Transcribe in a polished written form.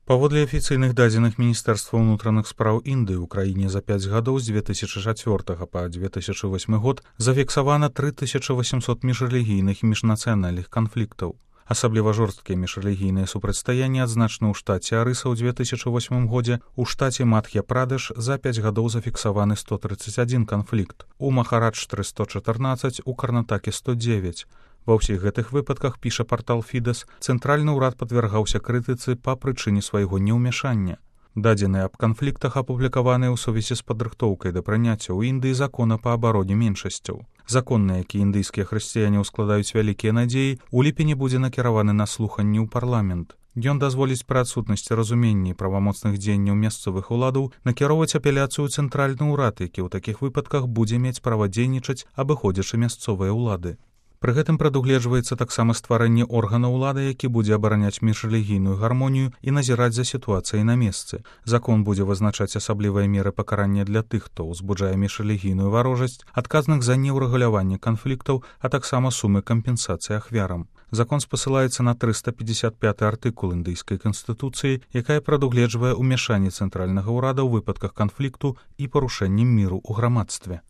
Паводле афіцыйных дадзеных Міністэрства ўнутраных спраў Індыі ў краіне за 5 гадоў з 2004 па 2008 год зафіксавана 3800 міжрэлігійных і міжнацыянальных канфліктаў. Асабліва жорсткія міжрэлігійныя супрацьстаянні адзначаны ў штаце Арыса ў 2008 годзе, у штаце Мадх'я-Прадеш за 5 гадоў зафіксаваны 131 канфлікт, у Махараджтры 114, у Карнатаке 109. Ва ўсіх гэтых выпадках, піша партал Фідэс, цэнтральны ўрад падвяргаўся крытыцы па прычыне свайго неўмяшання. Дадзеныя аб канфліктах апублікаваныя ў сувязі з падрыхтоўкай да прыняцця ў Індыі закона па абароне меншасцяў. Закон, на які індыйскія хрысціяне ўскладаюць вялікія надзеі, у ліпені будзе накіраваны на слуханні ў парламент. Ён дазволіць пры адсутнасці разумення і правамоцных дзеянняў мясцовых уладаў накіроўваць апеляцыю ў цэнтральны ўрад, які ў такіх выпадках будзе мець права дзейнічаць, абыходзячы мясцовыя ўлады. Пры гэтым прадугледжваецца таксама стварэнне органа ўлады, які будзе абараняць міжрэлігійную гармонію і назіраць за сітуацыяй на месцы. Закон будзе вызначаць асаблівыя меры пакарання для тых, хто ўзбуджае міжрэлігійную варожасць, адказных за неўрэгуляванне канфліктаў, а таксама сумы кампенсацыі ахвярам. Закон спасылаецца на 355 артыкул індыйскай канстытуцыі, якая прадугледжвае ўмяшанне цэнтральнага ўрада ў выпадках канфлікту і парушэннем міру ў грамадстве.